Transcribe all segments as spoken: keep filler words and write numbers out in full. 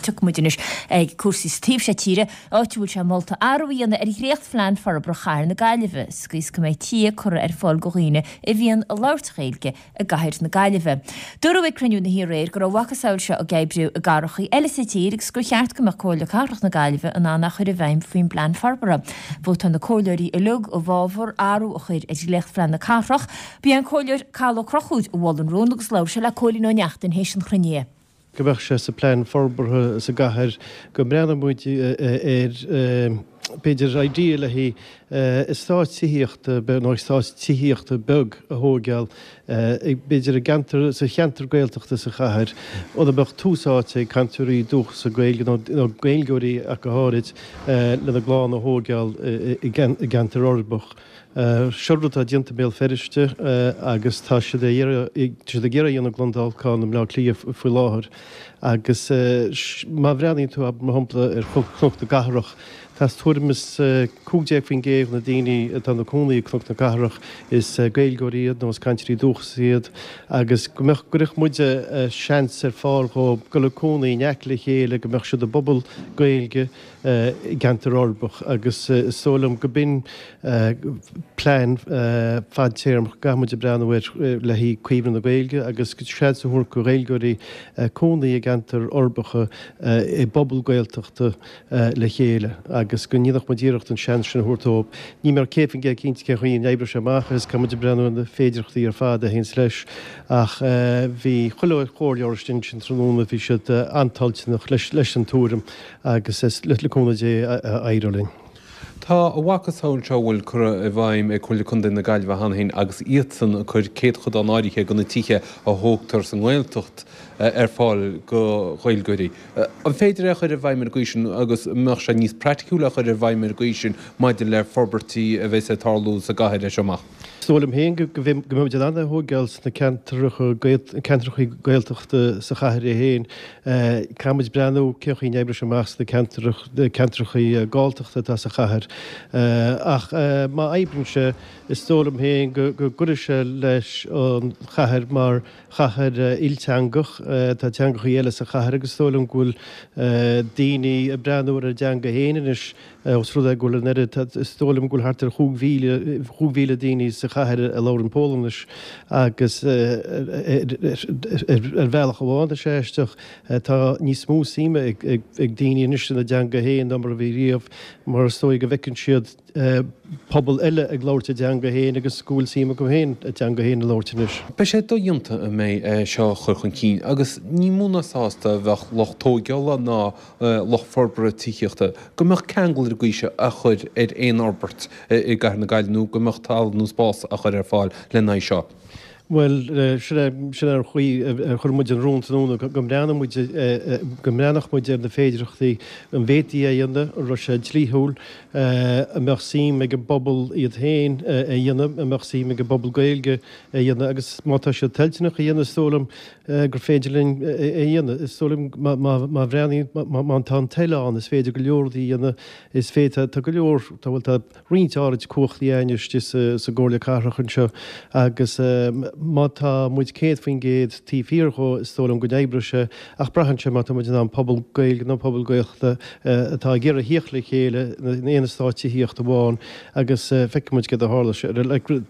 Tiocfaidh muid anois ag cúrsaí sa taobh seo tíre, áit a bhfuil sé molta athrú a dhéanamh ar dhréachtphlean forbartha chathair na Gaillimhe, sa gcaoi is go mbeidh tithe curtha ar fáil do dhaoine a bhíonn ag labhairt Gaeilge i gcathair na Gaillimhe. Dúradh ag cruinniú na hoíche aréir go raibh a mhacasamhail seo ag oibriú i gcathracha eile sa tír agus gur cheart go mbeadh Comhairle Cathrach na Gaillimhe in ann é a chur i bhfeidhm faoin bplean forbartha. Vótáil na comhairleoirí uilig i bhfabhar athrú a chur ar dhréachtphlean na cathrach. Ba é an Comhairleoir Cathal Ó Conchúir a mhol an rún agus labhair sé le Cóilín Ó Neachtain théis an chruinnithe. go mbeadh sé sa plean forbartha sa gcathair go mbreathnódh muid ar b'fhéidir idea le haghaidh eastát tithíochta nó eastát tithíochta beag a thógáil b'fhéidir i gceantar sa cheantar Gaeltachta sa chathair ina mbeadh tús áite ag cainteoirí dúchasacha Gaeilge nó Gaeilgeoirí ach go háirid lena gclann a thógáil i gceantar uirbeach. Seo rud atá déanta i mBéal Feirste agus tá siad ag iarraidh a dhéanamh i gCluain Dolcáin i mBleá Cliath faoi láthair agus má bhreathnaíonn tú mar shampla ar Chnoc na gCathrach, tá tuairim is cúig déag faoin gcéad na daoine atá ina cónaí i gCnoc na Cathrach is Gaeilgeoirí iad nó is cainteoirí dúchais iad agus go mbeadh go gcuirfeadh muid seans ar fáil dhóibh dul ag cónaí in aice le chéile go mbeadh siad i bpobal Gaeilge i gceantar uirbeach agus is dóigh liom go b'in plean fadtéarmach go gcaithfidh muid a breathnú air le haghaidh caomhnú na Gaeilge agus seans a thabhairt do Ghaeilgeoirí cónaí i gceantair uirbeacha i bpobal Gaeltachta le chéile agus go ndéanfadh muid iarracht an seans sin a thabhairt dóibh. Níl mé céad faoin gcéad cinnte cén chaoi a n-oibreoidh sé amach agus caithfidh muid a breathnú ar na féidearthachtaí ar fad a théanns leis ach bhí chuile chomhairleoir istigh ansin tráthnóna, bhí siad an-toilteanach leis an tuairim agus le cúnamh Dé éireoidh linn. Tá a mhacasamhail seo a bhfuil curtha i bhfeidhm ag Comhairle Contae na Gaillimhe cheana féin agus iadsan ag cur céadchodán áirithe de na tithe a thógtar sa nGaeltacht ar fáil do Ghaeilgeoirí. An féidir é a chur i bhfeidhm ar an gcaoi sin agus an mbeadh sé níos praiticiúla a chur i bhfeidhm ar an gcaoi sin maidir le forbairtí a bheas ag tarlú sa gcathair as seo amach? Is dóigh liom féin go mbeidh muid in ann é a thógáil sna ceantracha Gaeltachta sa chathair é féin. Caithfidh muid breathnú cén chaoi a n-oibreoidh sé amach sna ceantracha Galltachta atá sa chathair. Ach má oibríonn sé, is dóigh liom féin go gcuirfidh sé leis an chathair mar chathair ilteangach. Tá teangachaí eile sa chathair agus is dóigh liom go bhfuil daoine ag breathnú ar a dteanga féin anois. Ós rud é go bhfuil an oiread, is dóigh liom go bhfuil thart ar chúig mhíle, chúig mhíle daoine sa chathair a labhrann Polainnis agus ar bhealach amháin, tá sé aisteach, tá níos mó suime ag daoine anois ina dteanga féin ná mar a bhí riamh mar is dóigh go bhfeiceann siad pobal eile ag labhairt a dteanga féin agus go bhfuil suim acu féin a dteanga féin a labhairt anois. Beidh sé dodhéanta an mbeidh é seo a chur chun cinn agus ní mó ná sásta a bheadh lucht tóigeála ná lucht forbartha tithíochta, go mbeadh ceangal ar an gcaoi seo á chur ar aon fhorbairt i gcathair na Gaillimhe nó go mbeadh talamh nó spás á chur ar fáil lena aghaidh seo. Bhuel, sin é, sin é an chaoi ar chuir muid an rún tráthnóna, go mbreathnódh muid, go mbreathnódh muid ar na féidearthachtaí, an bhféadfaí é a dhéanamh, an raibh sé dlíthiúil, an mbeadh suim ag an bpobal iad féin é a dhéanamh, an mbeadh suim ag an bpobal Gaeilge é a dhéanamh agus má tá siad toilteanach a dhéanamh, is dóigh liom, gur féidir linn é a dhéanamh. Is dóigh liom má bhreathnaíonn, má tá an toil ann, is féidir go leor rudaí a dhéanamh. Is féidir, tá go leor, tá, bhuel, tá roinnt áirid cumhachtaí againn istigh sa gComhairle Cathrach anseo agus má tá muid céad faoin gcéad taobh thiar dhó, is dóigh liom go n-oibreoidh sé ach braitheann sé má tá muid in ann pobal Gaeilge nó pobal Gaeltachta atá ag iarraidh thíocht le chéile in aon eastát tithíochta amháin agus feicfidh muid céard a tharlós.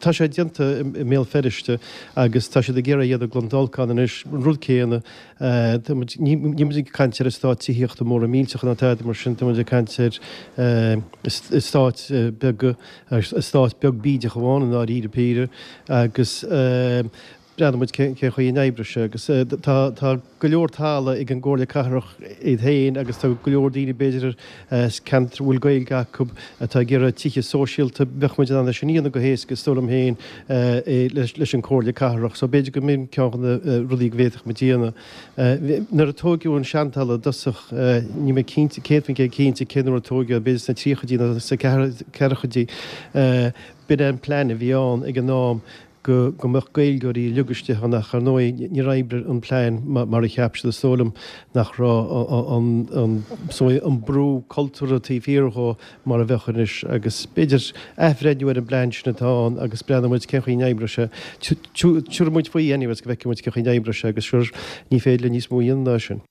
Tá sé déanta i mBéal Feirste agus tá siad ag iarraidh a dhéanamh i gCluain Dolcáin anois, an rud céanna. Tá muid, níl muid ag caint ar eastáit tithíochta móra millteacha ná tada mar sin, tá muid ag caint ar eastáit beaga, eastát beag bídeach amháin i ndáiríre píre agus breathnóidh muid cén chaoi a n-oibreoidh sé agus tá, tá go leor talamh ag an gComhairle Cathrach iad féin agus tá go leor daoine b'fhéidir as ceantar a bhfuil Gaeilge acu atá ag iarraidh tithe sóisialta, bheadh muid in ann é sin a dhéanamh go héasca is dóigh liom féin leis an Chomhairle Cathrach. So b'fhéidir go mb'in ceann de na rudaí go bhféadfadh muid a dhéanamh. Nuair a tóigeadh an seantalamh i dtosach, níl mé cinnte, céad faoin gcéad cinnte cén uair a tóigeadh, b'fhéidir sna tríochaidí nó sna ceathrachaidí, b'in é an plean a bhí ann ag an am go go mbeadh Gaeilgeoirí uilig istigh ann ach ar ndóigh níor oibrigh an plean mar a cheap siad. Is dóigh liom nach raibh an an an brú cultúrtha taobh thiar dhó mar a bheadh anois agus b'fhéidir athbhreithniú ar an bplean sin atá ann agus breathnóidh muid cén chaoi a n-oibreoidh sé. Tabharfaidh muid faoi anyways go bhfeicfidh muid cén chaoi a n-oibreoidh sé agus sure ní féidir linn níos mó a dhéanamh ná sin.